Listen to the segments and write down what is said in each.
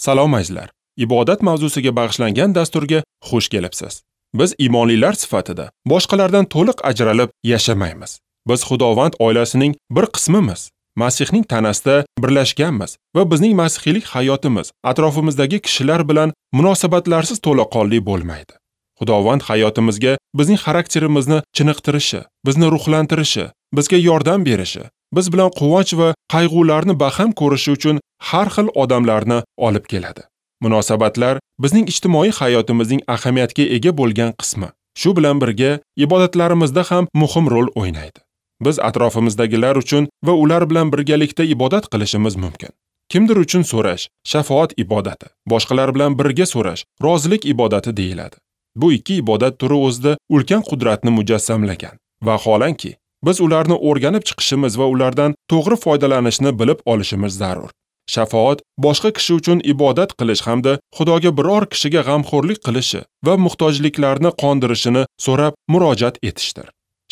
Salom azizlar. Ibodat mavzusiga bag'ishlangan dasturga xush kelibsiz. Biz iymonlilar sifatida boshqalardan to'liq ajralib yashamaymiz. Biz Xudovand oilasining bir qismimiz. Masihning tanasida birlashganmiz va bizning masihiylik hayotimiz atrofimizdagi kishilar bilan munosabatlarsiz to'laqonli bo'lmaydi. Xudovand hayotimizga bizning xarakterimizni chiniqtirishi, bizni ruhlantirishi, bizga yordam berishi, biz bilan quvonch va qayg'ularni baham ko'rishi uchun har xil odamlarni olib keladi. Munosabatlar bizning ijtimoiy hayotimizning ahamiyatga ega bo'lgan qismi. Shu bilan birga ibodatlarimizda ham muhim rol o'ynaydi. Biz atrofimizdagilar uchun va ular bilan birgalikda ibodat qilishimiz mumkin. Kimdir uchun so'rash shafaot ibodati, boshqalar bilan birga so'rash rozilik ibodati deyiladi. Bu ikki ibodat turi o'zida ulkan qudratni mujassamlagan. Vaholanki, biz ularni o'rganib chiqishimiz va ulardan to'g'ri foydalanishni bilib olishimiz zarur. Shafaot boshqa kishi uchun ibodat qilish hamda Xudoga biror kishiga g'amxo'rlik qilishi va muhtojliklarni qondirishini so'rab murojaat etishdir.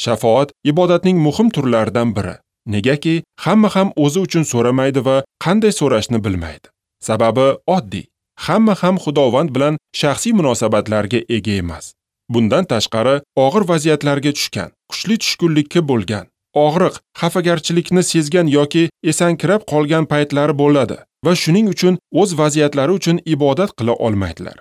Shafaot ibodatning muhim turlaridan biri. Negaki, hamma ham o'zi uchun so'ramaydi va qanday so'rashni bilmaydi. Sababi oddiy. Hamma ham Xudovand bilan shaxsiy munosabatlarga ega emas. Bundan tashqari, og'ir vaziyatlarga tushgan, kuchli tushkunlikka bo'lgan, og'riq, xafagarchilikni sezgan yoki esankirab qolgan paytlari bo'ladi va shuning uchun o'z vaziyatlari uchun ibodat qila olmaydilar.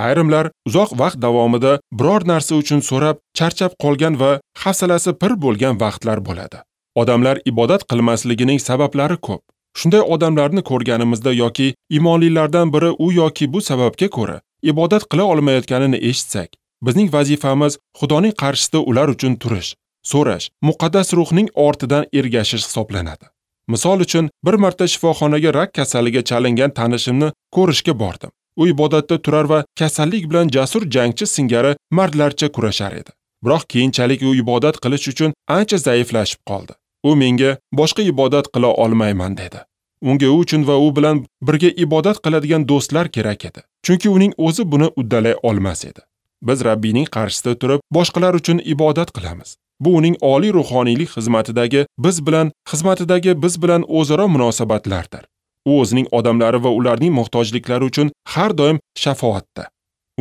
Ayrimlar uzoq vaqt davomida biror narsa uchun so'rab, charchab qolgan va hafsalasi pir bo'lgan vaqtlar bo'ladi. Odamlar ibodat qilmasligining sabablari ko'p. Shunday odamlarni ko'rganimizda yoki iymonlilardan biri u yoki bu sababga ko'ra ibodat qila olmayotganini eshitsak, bizning vazifamiz Xudoning qarshisida ular uchun turish, so'rash, muqaddas ruhning ortidan ergashish hisoblanadi. Misol uchun, bir marta shifoxonaga rak kasaliga chalingan tanishimni ko'rishga bordim. U ibodatda turar va kasallik bilan jasur jangchi singari mardlarcha kurashar edi. Biroq keyinchalik u ibodat qilish uchun ancha zaiflashib qoldi. U menga boshqa ibodat qila olmayman dedi. Unga u uchun va u bilan birga ibodat qiladigan do'stlar kerak edi. Chunki uning o'zi buni uddalay olmas edi. Biz Rabbiyning qarshisida turib, boshqalar uchun ibodat qilamiz. Bu uning oliy ruhoniylik xizmatidagi biz bilan o'zaro munosabatlardir. U o'zining odamlari va ularning muhtojliklari uchun har doim shafoatda.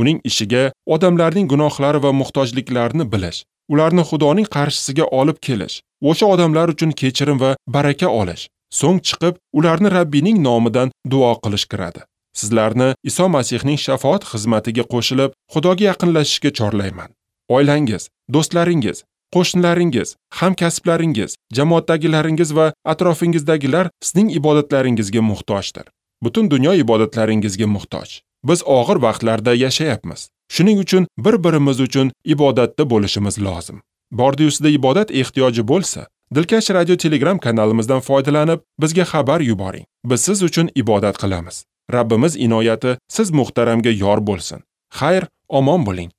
Uning ishiga odamlarning gunohlari va muhtojliklarini bilish, ularni Xudoning qarshisiga olib kelish, o'sha odamlar uchun kechirim va baraka olish, so'ng chiqib ularni Rabbiyning nomidan duo qilish kiradi. Sizlarni Iso Masihning shafoat xizmatiga qo'shilib, Xudoga yaqinlashishga chorlayman. Oilangiz, do'stlaringiz, qo'shnilaringiz, hamkasblaringiz, jamoatdagilaringiz va atrofingizdagilar sizning ibodatlaringizga muhtojdir. Butun dunyo ibodatlaringizga muhtoj. Biz og'ir vaqtlarda yashayapmiz. Shuning uchun bir-birimiz uchun ibodatda bo'lishimiz lozim. Bordi-yu sizda ibodat ehtiyoji bo'lsa, Dilkash radio Telegram kanalimizdan foydalanib, bizga xabar yuboring. Biz siz uchun ibodat qilamiz. Rabbimiz inoyati siz muhtaramga yor bo'lsin. Xayr, omon bo'ling.